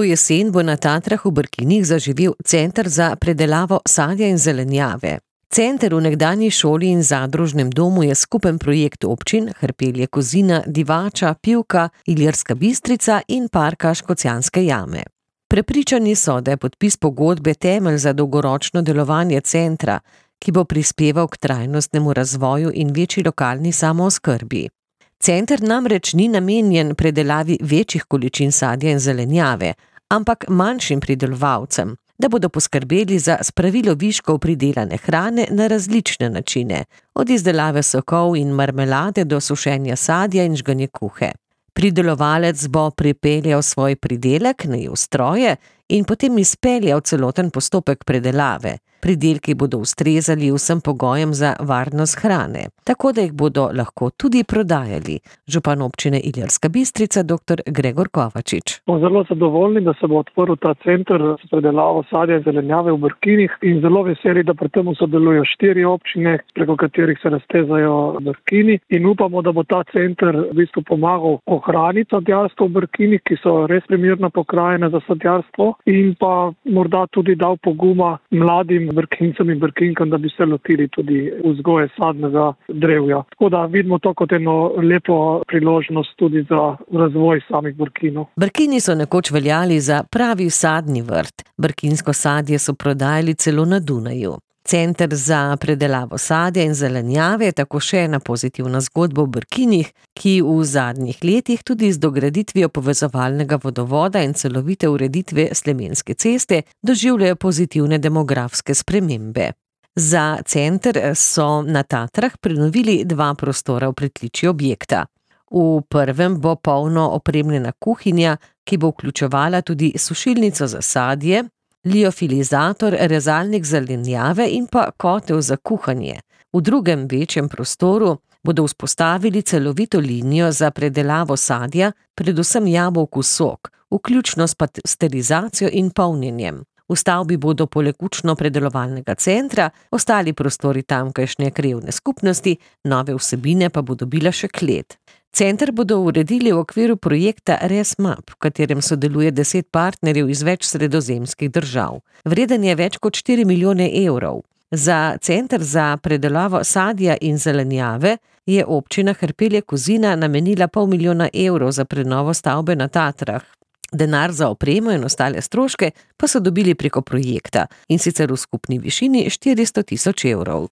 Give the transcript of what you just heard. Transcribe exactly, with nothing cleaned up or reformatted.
To jesen bo na Tatrah v Brkinih zaživel Center za predelavo sadja in zelenjave. Center v nekdanji šoli in zadružnem domu je skupen projekt občin Hrpelje-Kozina, Divača, Pivka, Ilirska Bistrica in Parka Škocjanske jame. Prepričani so, da je podpis pogodbe temelj za dolgoročno delovanje centra, ki bo prispeval k trajnostnemu razvoju in večji lokalni samooskrbi. Center namreč ni namenjen predelavi večjih količin sadja in zelenjave, ampak manjšim pridelovalcem, da bodo poskrbeli za spravilo viškov pridelane hrane na različne načine, od izdelave sokov in marmelade do sušenja sadja in žganje kuhe. Pridelovalec bo pripeljal svoj pridelek, najel stroje in potem izpeljal celoten postopek predelave. Pridelki bodo ustrezali vsem pogojem za varnost hrane, tako da jih bodo lahko tudi prodajali. Župan občine Ilirska Bistrica, doktor Gregor Kovačič. Smo zelo zadovoljni, da se bo odprl ta center za predelavo sadja in zelenjave v Brkinih in zelo veseli, da pri tem sodelujo štiri občine, preko katerih se raztezajo Brkini, in upamo, da bo ta center v bistvu pomagal ohraniti sadjarstvo v Brkinih, ki so res primerna pokrajina za sadjarstvo, in pa morda tudi dal poguma mladim Brkincem in Brkinkam, da bi se lotili tudi vzgoje sadnega drevja. Tako da vidimo to kot eno lepo priložnost tudi za razvoj samih Brkinov. Brkini so nekoč veljali za pravi sadni vrt. Brkinsko sadje so prodajali celo na Dunaju. Center za predelavo sadja in zelenjave je tako še ena pozitivna zgodba v Brkinih, ki v zadnjih letih tudi z dograditvijo povezovalnega vodovoda in celovite ureditve Slemenske ceste doživljajo pozitivne demografske spremembe. Za center so na Tatrah prenovili dva prostora v pritličju objekta. V prvem bo polno opremljena kuhinja, ki bo vključevala tudi sušilnico za sadje, liofilizator, rezalnik zelenjave in pa kotel za kuhanje. V drugem večjem prostoru bodo vzpostavili celovito linijo za predelavo sadja, predvsem jabolku sok, vključno s pasterizacijo in polnjenjem. V stavbi bodo poleg učno-predelovalnega centra ostali prostori tamkajšnje krajevne skupnosti, nove vsebine pa bo dobila še klet. Center bodo uredili v okviru projekta ResMap, v katerem sodeluje deset partnerjev iz več sredozemskih držav. Vreden je več kot štiri milijone evrov. Za Center za predelavo sadja in zelenjave je občina Hrpelje-Kozina namenila pol milijona evrov za prenovo stavbe na Tatrah. Denar za opremo in ostale stroške pa so dobili preko projekta, in sicer v skupni višini štiristo tisoč evrov.